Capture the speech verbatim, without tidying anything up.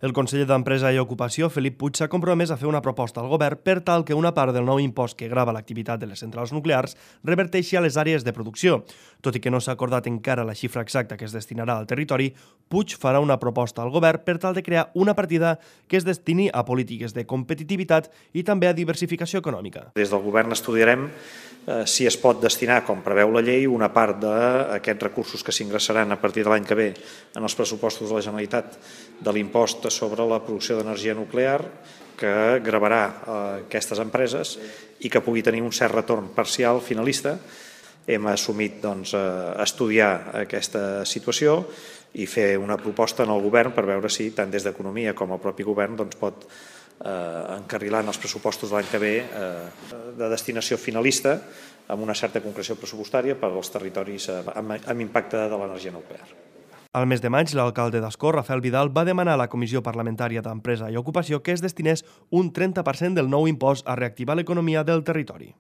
El conseller d'Empresa i Ocupació, Felip Puig, s'ha compromès a fer una proposta al govern per tal que una part del nou impost que grava l'activitat de les centrals nuclears reverteixi a les àrees de producció. Tot i que no s'ha acordat encara la xifra exacta que es destinarà al territori, Puig farà una proposta al govern per tal de crear una partida que es destini a polítiques de competitivitat i també a diversificació econòmica. Des del govern estudiarem eh, si es pot destinar, com preveu la llei, una part d'aquests recursos que s'ingressaran a partir de l'any que ve en els pressupostos de la Generalitat de l'impost sobre la producció d'energia nuclear que gravarà eh, aquestes empreses i que pugui tenir un cert retorn parcial finalista. Hem assumit doncs, eh, estudiar aquesta situació i fer una proposta en el govern per veure si tant des d'Economia com el propi govern doncs, pot eh, encarrilar en els pressupostos de l'any que ve eh, de destinació finalista amb una certa concreció pressupostària per als territoris eh, amb, amb impacte de l'energia nuclear. Al mes de maig, l'alcalde d'Ascó, Rafael Vidal, va demanar a la Comissió Parlamentària d'Empresa i Ocupació que es destinés un trenta per cent del nou impost a reactivar l'economia del territori.